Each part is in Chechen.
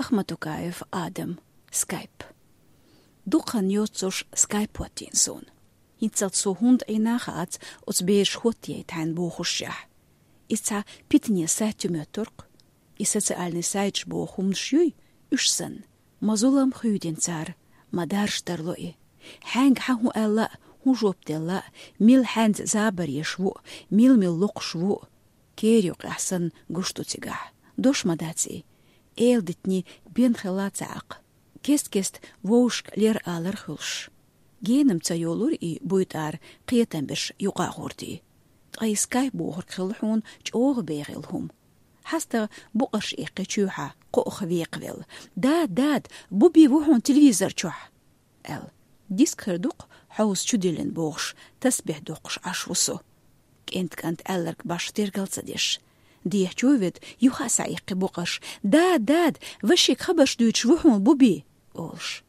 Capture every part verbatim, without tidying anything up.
Ахматукаев Адам. Скайп. Дукха хан йоццуш скайп хӀоттийна суна. ХӀинццалц со хӀунда Ӏийна хац оцу бераш хӀоттаяйта хьайна бохушехь. Иза цхьа питане сайт ю моьттург. И социальный сайташ боху хӀуманаш юй, уьш санна. Ма зулам хуьйдина цара, ма дарж тарло и. Хьаьнга хьан хӀун аьлла а, хӀун жоп делла а, мила хьаьнца забар еш ву а, мила-мила локхуш ву а. Кера юкъехь санна гуш ду цигахь. Дош ма дац и. Эла дитиний бен хилла ца Ӏаккха. Кест-кест вовшашка лер алар хуьлуш. Генам ца йолура и буйтӀара кхетам берш юкъа а гӀортий. Ткъа и скайп бохург хилла хьуна чӀогӀа бегӀийла хӀума. ХьастагӀа букъарш иккхи чоьхьа, кхоъ векхавелла. «Дада, дада, Буби ву хьуна телевизор чохь!» — аьлла. Диск хир ду-кх хьовса чу диллина бохуш, тасбихь доккхуш Ӏаш ву со. КӀентан кӀант аьлларг башха тергал ца деш. Дехьа чу а ведда, юха а схьаиккхи букъарш: «Дада, дада, вашига хабарш дуьйцуш ву хьуна Буби!» — олуш.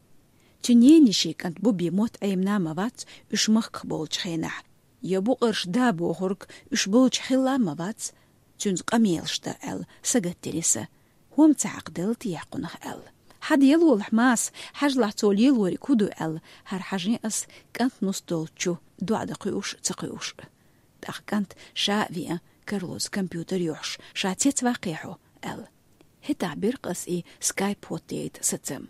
Цуьнан ненан йишин кӀант Буби мотт Ӏемина а ма вац уьш махках болчу хенахь. Я букъарш да бохург уьш болчу хилла а ма вац, цуьнца къамелаш дан аьлла сагатдина сан. ХӀума ца хьакхаделла техьа кхунах аьлла. «Хьан делолахь, Маса, хьажалахь цо лелориг хӀун ду», — аьлла, хӀара хьажийна ас кӀант нус долчу чу, доӀа дан кхуьуш а, ца кхуьуш а. ТӀаккха кӀант ша а веана, карлоца компьютер йохьуш: «Ша цецваккхий хьо?» — аьлла. ХӀетахь бира-кх ас и скайп хӀоттаяйта сацам.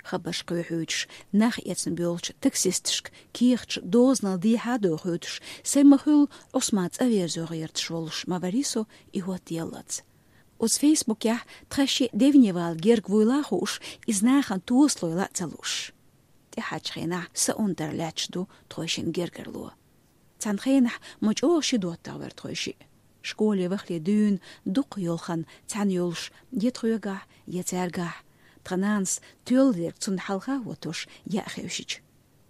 Хабарш кхоьхьуьйтуш, нах эцна боьлхучу таксисташка кехаташ дозанал дехьа а дохуьйтуш, сайн ма-хуьллу Ӏусман цӀа верзо гӀерташ волуш ма варий со и хӀоттаяллалц. Оцу фейсбукехь тхан шиъ девне вала герга вуйла а хууш, иза нахана тосалойла а ца лууш. ТӀаьхьарчу хенахь сан унтара лаьтташ ду тхойшинна гергарло. Цхьана хенахь ма чӀогӀа ши доттагӀа вара тхойшиъ. Школе вахале дуьйна дукха йолу хан цхьаьна йолуш, я тхоьгахь, я цаьргахь, тхан нанас тоьлла дерг цунна хьалха а хӀоттош яа хевшича.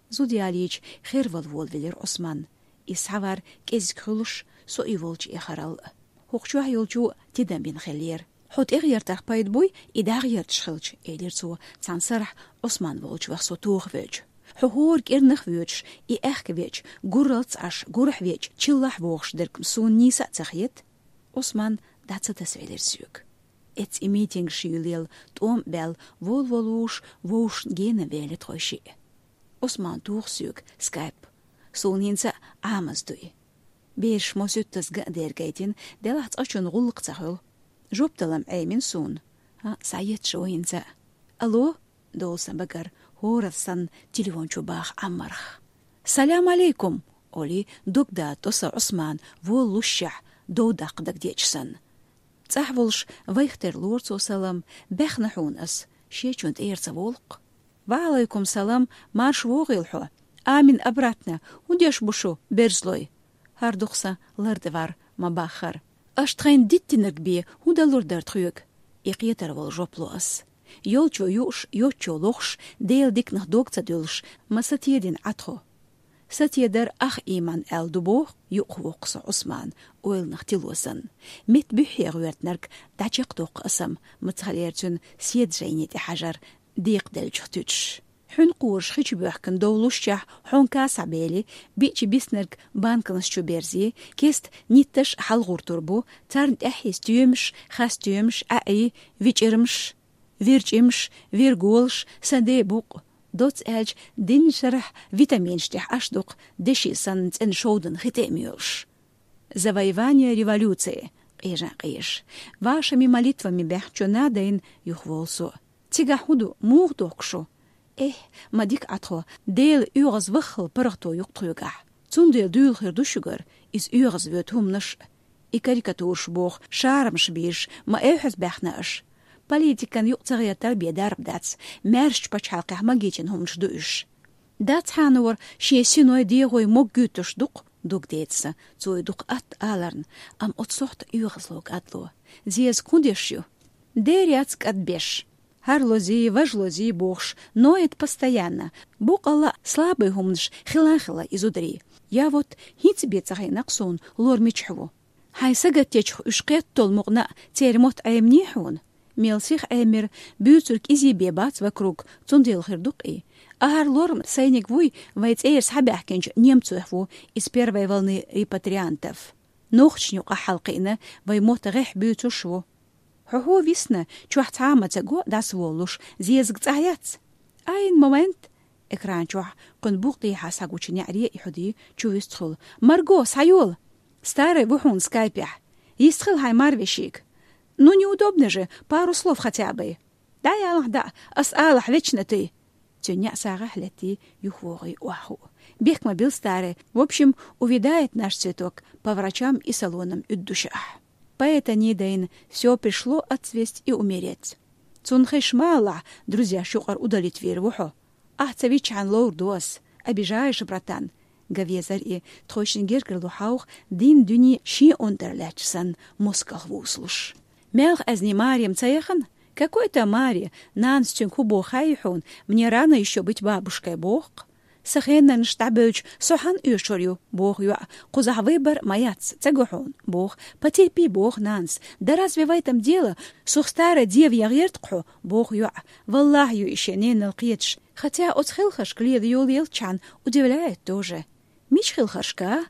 Зуда ялийча, хервала волавелира Ӏусман. Иза схьавар кӀезиг хуьлуш, со и волчу эхаралла. ХӀокху чохь йолчо тидам бина хиллера. «Хьо тӀегӀертарх пайда буй, и дӀагӀерташ хилча», — элира цо, цхьана сарахь Ӏусман волчу ваха со тохавелча. «Хьо хӀора кӀирнах а воьдуш, и аьхка веача, гурралц Ӏаш, гурахь веача, чиллахь а вогӀуш дерг-м суна нийса а ца хета». Ӏусман дӀа ца тасавелира соьга. Эцца и митингаш юьйлаелла тӀом а баьлла, волаволуш, вовшашна генавелла тхойшиъ. Ӏусман туху соьга скайп. Суна хӀинца а Ӏамаз ду и. Бераш мосуьттазза ган а дерг гайтина, делахь цкъачунна гӀуллакх ца хуьлу. Жоп далам Ӏемина суна. А, схьаетташ ву хӀинца а. «Алло!» — долу сан багара, хӀоранна санна телефон чу баха Ӏаммарх. «Салам алейкум!» — олий, дог дада тӀо сан Ӏусман, волалушшехь, дов даккха дагадеача санна. ЦӀахь волуш вайх тера лору цо салам: «Баьхна хьуна ас, шечунна тӀера ца волу-кх». «Ва алайкум салам, марша вогӀийла хьо». «Амин обратно, хӀун деш бу шу, берзалой?» ХӀара дукха сан лар тӀе вар ма баххара. «Аша тхайна диттинарг бен хӀун далур дара тхоьга?» — и кхетар волу жоп ло ас. Йолчо юуш, йоцчо лохуш, Делан диканах дог ца дуьллуш, ма сатедина Ӏа тхо. Сатедар ах ийман аьлла ду боху, юкъахвоккху со Ӏусман, ойланах тило санна. Метта буьххье гӀоьртинарг дӀачекхдоккху аса-м, мацахалера цуьнан седа жайне тӀе хьажар декхаделлачух туьтуш. Хьуьнкъораш хи чу боьхкина довлушшехь, хьонка схьабели, биъча биснарг банканаш чу берзи, кеста нитташ хьалагӀуртур бу, царна тӀаьхье стоьмаш, хастамаш, аьӀий, вичӀирмаш, вирчӀимаш, вирголаш, сан де букъ. Доцца аьлча, дийнна шарахь витаминаш тӀехь Ӏаш ду-кх, деши санна цӀена шовдан хи тӀе а моьлуш. «Завоевание революции», — къежа-къежаш. «Вашими молитвами баьхначо надо», — юхаволу со. «Цигахь хӀун ду, муха дохку шу?» «Эхь, ма дика Ӏа тхо, Делан оьгӀаз ваххал паргӀато ю-кх тхоьгахь. Цундела дуьйла хир ду шуьгара иза оьгӀаз воьду хӀуманаш а. И карикатураш боху, шарамаш бийраш, ма эвхьаза баьхна аша. Политикан юкъа ца гӀертар бен дарба дац, маьршачу пачхьалкхехь магийчина хӀуманаш ду уьш. Дацхьанор шен синой, дегӀой моггуьйтуш ду-кх», — дог деца сан, цо и дукха атта аларна, амма оцу сохьта оьгӀазло кӀадло. «Зеза, хӀун деш ю?» «Дера яц кӀадбеш. ХӀара лозий, важа лозий бохуш, ноет постоянно. Боккъалла а слабый хӀуманаш хила а хилла и зударий. Я вот, хӀинца бен ца хиъна-кх суна, лор мичахь ву». «Хьайн сагатдечух уьш кхетталла мукъана а церан мотт Ӏеминий хьуна?» «Мел сиха Ӏемира, буьйцург кӀезиг бен бац вокруг, цундела хир ду-кх и. А хӀара лор-м сайниг вуй, вай цӀера схьабаьхкинчу немцойх ву, из первой волны репатриантов. Нохчашна юкъахь хьалакхиъна, вай мотт гӀеххьа буьйцуш ву». Хьо-хьо висна, чохь цхьа а ма ца го, дӀасаволуш, зезаг цӀахь яц. Айн момент! Экран чохь кхуьнан букъ тӀехьа схьагучу неӀаре и хьуди чу вуьстхула. Марго, схьайола! Старый ву хьуна скайпехь. Йистхила хьайн марвешига. Ну, неудобно же, пару слов хотя бы. ДӀаялахь дӀа, ас алахь вечно ты. Цуьнан неӀ сагӀахь летти юхавогӀий охьахуу. Бехк ма билла, старый. В общем, увядает наш цветок по врачам и салонам уьддушехь. Поэта недайна, все пришло отцвесть и умереть. Цунна хезаш ма алалахь, друзьяш юкъара удалить вийр ву хьо. Ахь ца виччахьана ловр ду ас. Обижаешь, братан. Гавезар и, тхойшинна гергарло хьовха, дин дуьне шен онтара лаьтташ санна, мускалх вусалуш. Мелха аьзни Маре-м ца яхана? Какой там Маре, нанас цуьнга хӀун боху хаьий хьуна, мне рано ещё быть бабушкой, боху-кх. Сан хенанаш дӀабевлча, со хьанна оьшур ю, боху йоӀа, кхузахь выбор ма яц, ца го хьуна, боху, потерпи, боху нанас, да разве в этом дело, сух старая дева ян гӀерта-кх хьо, боху йоӀа, валлахӀи ю и шен ненал кхеташ, хотя оцу хелхаршка лела йолаелчхьана удивляет тоже. Мича хелхаршка?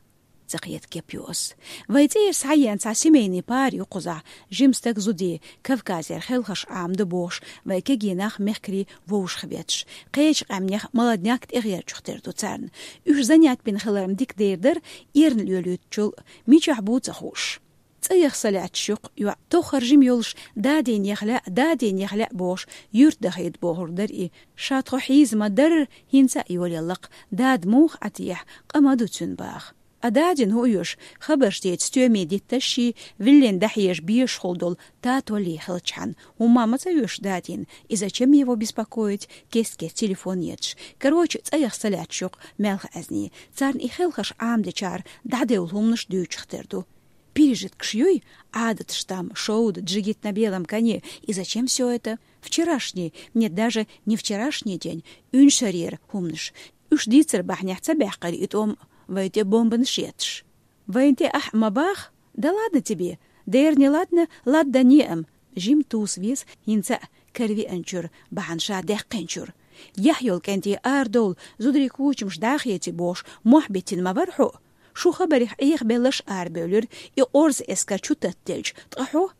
Ца кхета кеп ю ас. Вай цӀера схьаеана цхьа семейный пара ю кхузахь, жима стаг, зуда, Кавказера хелхарш Ӏамаду бохуш, вай кегий нах мехкарий вовшахбетташ. Кхечу къаьмнех молодняк тӀегӀерчух тера ду царна. Уьш занят бина хилар-м дика дер дара, эрна лоьлуьйтучул, мичахь бу ца хууш. ЦӀа яха са лаьтташ ю-кх йоӀ, тоххара жима йолуш, дадийна яха лаьа, дадийна яха лаьа бохуш, юьрта дахийта бохур дара и. Ша тхо хьийза ма-дарра, хӀинца а йолаелла-кх, дада муха Ӏа техьа, къа ма ду цуьнан баха. А дадина хӀун оьшу, хабарш деца стоьме дитташ ший, виллина дӀахьежа безаш хула долу Татоллий хилчхьана, хӀумма а ма ца оьшу дадина, и зачем его беспокоить, кест-кеста телефон етташ. Короче, цӀа яха са лаьтташ ю-кх Мелха аьзни. Царна и хелхарш Ӏамадечара дӀадевлла хӀуманаш дуьйцуш тера ду. Пережиткаш юй, Ӏадаташ там, шовда, джигит на белом коне, и зачем всё это? Вчерашний, нет, даже не вчерашний день, уьншарера хӀуманаш. Уьш дийцар бахьанехь ца баьккхира и тӀом, вай тӀе бомбанаш етташ. Вайна тӀе ахь а ма баха? Да ладно тебе. Дера не ладно, ладда не ам. Жима туса веза хӀинца а каравеанчуьра, бахьана ша даьккхинчуьра. Яхь йолу кӀентий арадовла, зударий кучамаш дӀахети бохуш, мохь биттина ма вара хьо? Шу хабарехь Ӏехабелларш арабевлира, и къорза эскар чу таттаделча, ткъа хьо?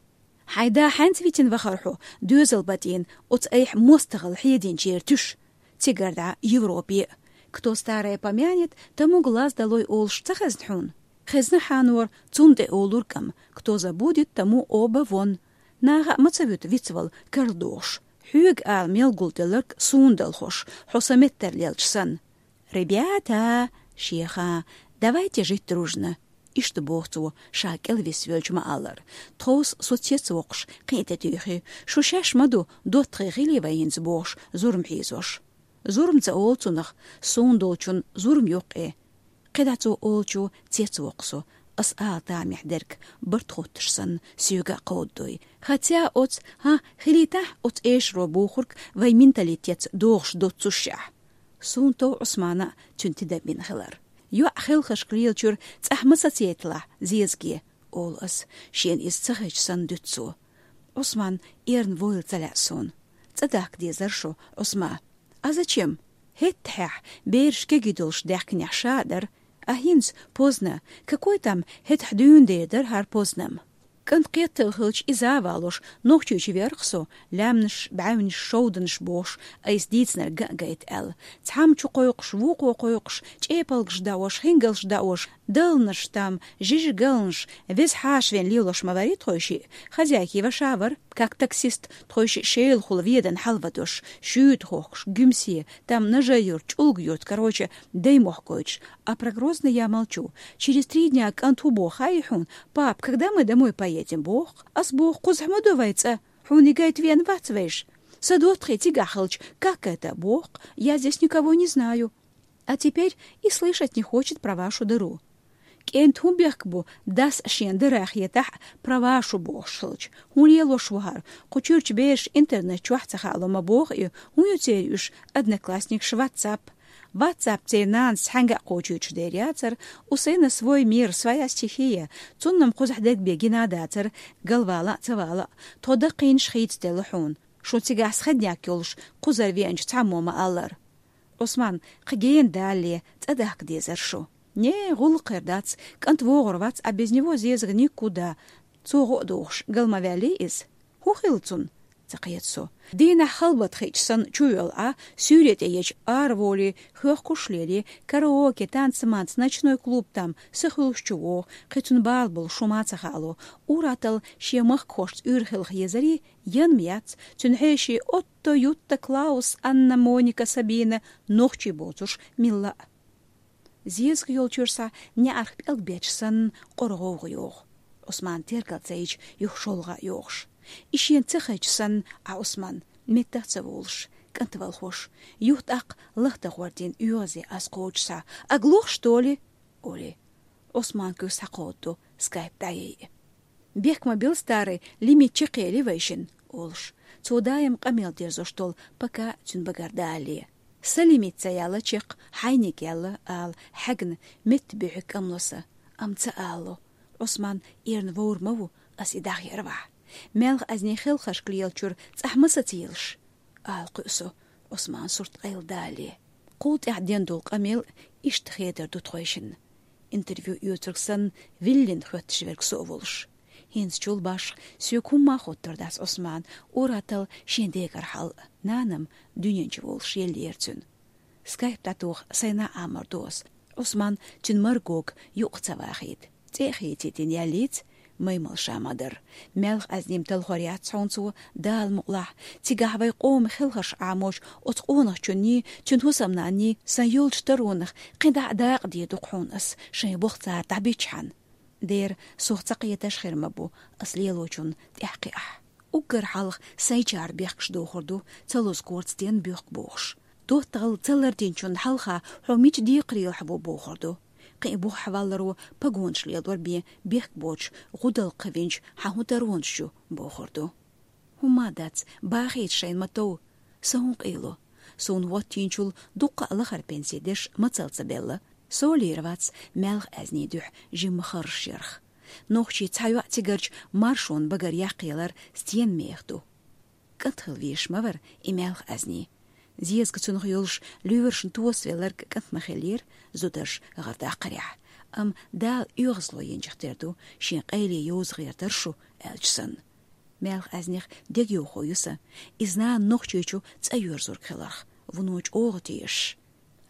Хьайн да хьаьнца витина вахара хьо, доьзал батӀийна, оцу айхьа мостагӀалла хьединчеран туьш? Цигара дӀа Европе. Кто старое помянет, тому глаз долой олуш ца хезна хьуна? Хезна, хьанор, цунна тӀе олург-м, кто забудет, тому оба вон. Наха а ма ца вуьту вицвала карладохуш. Хьоьга ала мел гулделларг суна далхош, хьо сан меттара лелча санна. «Ребята!» — шеха, «давайте жить дружно!» — иштта боху цо, ша кӀел висвелча ма-аллара. Тховса со цецвоккхуш, кхин а тӀетуьйхи. Шу шаьш ма ду, доттагӀий хили вай хӀинца бохуш, зурма хьийзош. Зурма ца олу цунах, суна долчун зурма ю-кх и. КхидӀа цо олучу цецвоккху со, ас ала тамехь дерг, барт хоттуш санна, соьга а кховдадой. Хотя оцу, хӀа, хилийтахь оцу эшаро бохург вай менталитетца догӀуш доццушехь. Суна тов Ӏусмана а цуьнан тидам бина хилар. ЙоӀ хелхашка лелачуьра цӀахь ма сацаейталахь, зезаге, олу ас, шена иза ца хезча санна дуьту цо. Ӏусман эрна войла ца лаьа суна. ЦӀа дахка дезара шу, Ӏусма. А зачем? ХӀетахь, бераш кегий долуш даьхкинехь ша а дара. А хӀинца, поздно. Какой там, хӀетахь дуьйна дер дара хӀара поздно-м. КӀант кхеттал хилча иза а валош, Нохчийчу верх со, лаьмнаш, бӀаьвнаш, шовданаш бохуш, айса дийцинарг ган а гайта аьлла. Цхьамма чу кхойкхуш, вукхо кхойкхуш, чӀепалгаш даош, хингалш даош, далланаш там, жижиг галланаш, веза хьаша вен лелош ма варий тхойшиъ, хозяйки ваша вара, как таксист, тхойшиъ Шелахула ведан хьалавадош, шуьйта хохкуш, Гуьмсе, там Нажай-Юрт, ЧӀулга-Юрт, короче, даймохк гойтуш. А про Грозный я молчу. Через три дня кӀант хӀун боху хаьий хьуна? Пап, когда мы домой поедем? Боху. Ас боху, кхузахь ма до вай цӀа. Хьуна и гайта веана вац вайша. Сан доттагӀий цигахь хилча, как это? Боху. Я здесь никого не знаю. А теперь и слышать не хочет про вашу дыру. КӀентан хӀун бехк бу, дас шен дара хетахь, про вашу бохуш хилча? ХӀун лелош ву хӀара? Кху чуьрчу бераш интернет чохь ца хаало ма боху и, хӀун ю церан уьш, одноклассникаш, ватсап? Ватсап церан нанас цхьаьнга а кхочуьйтуш дер яцара, у сына свой мир, своя стихия, цунна-м кхузахь дерг бен гина а дацара, галвала а, ца вала а. Тхо даккхийнаш хийцаделла хьуна. Шун цигахь схедняк йолуш, кхузара веанчу цхьаммо ма-аллара. Ӏусман, кхин гена далале, цӀа дахка дезара шу. Не, гӀуллакх хир дац, кӀант вогӀур вац, а без него зезаг никуда. Цо гӀо а дохуш, гал ма ваьллий иза? «ХӀун хилла цунна?» — ца кхета со. Дийнахь халбат хиъча санна чувоьлла Ӏа, суьйре тӀе еча араволий, хьоьхкуш лелий, караоке, танцаманца, ночной клуб там, са хуьлуш чу вогӀу, кхин цунна бала болуш хӀума ца хаало. Ур-атталла шен махкахошца уьйр хилха езарий, янма яц, цуьнан хьеший Отто, Ютта, Клаус, Анна, Моника, Сабина, нохчий боцурш милла а. Зезага йолчуьра схьа неӀарх пӀелг бечу санна къора гӀовгӀа йогӀу. Ӏусман тергал ца йича, юха шолгӀа а йогӀуш. И шена ца хезча санна, Ӏа Ӏусман, меттах а ца волуш, кӀант валхош, юха тӀаккха лахта гӀордина оьгӀазе аз кхочуш схьа: «Ага лох, что ли?» — олий. Ӏусман куьг схьакховдаду, скайп дӀаяйъи. «Бехк ма билла, старый, лимит чекхъели вайшинна», — олуш. Цо даим къамел дерзош долу «пока» цуьнан багара далале. «Сан лимит ца яьлла чекх, хьайниг яьлла», — ала, хьаьгна, метта буьхьиг кӀамло сан. Амма ца алало. Ӏусман эрна вовр ма ву, ас и дӀахъяр вахь. Маьлха-Ӏаьзни хелхаршка лелачуьра цӀахь ма сацаелаш, ала кхуьу со, Ӏусман сурт къайладалале. Кхул тӀаьхьа ден долу къамел иштта хедар ду тхойшинна. Интервью оьцург санна, виллина хоьттуш верг со а волуш. ХӀинца чул башха соьга хӀумма а хоттур дац Ӏусман, ур-атталла шен дегара хьал а, нана-м дуьнен чу волуш еллера цуьнан. Скайп дӀатоха сайна а Ӏамор ду ас. Ӏусман цуьнан Маргога юкъа ца вахийта. ЦӀе а хийцийтина яьллица, маймал ша ма-дарра. Маьлха-Ӏаьзни-м талхор яц хьуна цо, Дала мукъалахь, цигахь вайн къоман хелхарш Ӏамочу оцу къонахчунний, цуьнан хӀусамнанний сан йолчу таронах кхин дӀа а дакъа дийр ду-кх хьуна ас, шайн болх цара дӀабиччахьана. Дера, сох ца кхеташ хир ма бу, ас лелочунна тӀаьхьакхиахь. Уггар хьалха сайчара бехкаш дохур ду, ца лозу корта стенна боьхку бохуш. ДоттагӀалла ца лардинчунна хьалха хьо мича декхарийлахь ву бохур ду. Кхин а бух хьавалларо погонаш лелор бен бехк боцуш, гӀудалкха винчу хьан хӀун таронаш ю бохур ду. ХӀумма а дац, бахийта шайна ма-тов. Сан хӀун къийло? Суна хӀоттийначул дуккха а лахара пенси деш мацалла ца белла. Со лийр вац Маьлха-Ӏаьзни дуьхьа жимма харжаш ярх. Нохчий цхьа йоӀ цигарчу маршонан багара яккхаялар стенна меха ду. КӀант хила везаш ма вара и Маьлха-Ӏаьзни. Зезага цунах йолуш лоьрашна тосавелларг кӀант ма хиллера, зударша гӀар даккхарехь. Амма Дала оьгӀазло йинчух тера ду шен къайле йовза гӀертар шу, аьлча санна. Маьлха-Ӏаьзнех дегайовхо ю сан, иза нана Нохчийчу цӀа йоьрзург хиларх, вуно чӀогӀа тешаш.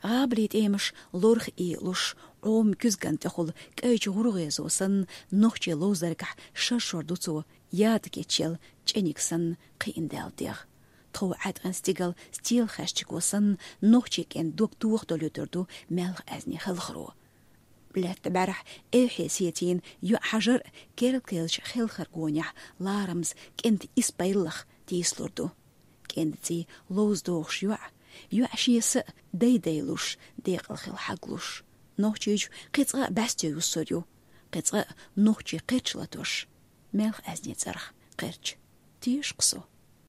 ГӀабали тӀемаш лорах ийлуш, Ӏома куьзган тӀехула кӀайчу гӀургӀезо санна, нохчийн ловзаргахь шаршор ду цо, яда кечъелла чӀениг санна кхиъна даьлла дегӀ. Тхов Ӏаьткъина стигала стелахаьччиго санна, нохчийн кӀентан дог тоха долуьйтур ду Маьлха-Ӏаьзни хелхаро. Лаьтта бӀаьрахь эвхье сецийна йоӀ хьажар а, керла керлачу хелхаран гонехь ларамаза кӀентан исс пайллах тийсалур ду. КӀентан цӀий ловза дохуш йоӀ, йоӀ шен са а дай-дайлуш, декъала хила хьаглуш. Нохчийчу кхин цкъа а бӀаьсте юссур ю, кхин цкъа а нохчийн кхерч латош. Маьлха-Ӏаьзни цӀарах кхерч. Теша-кх со.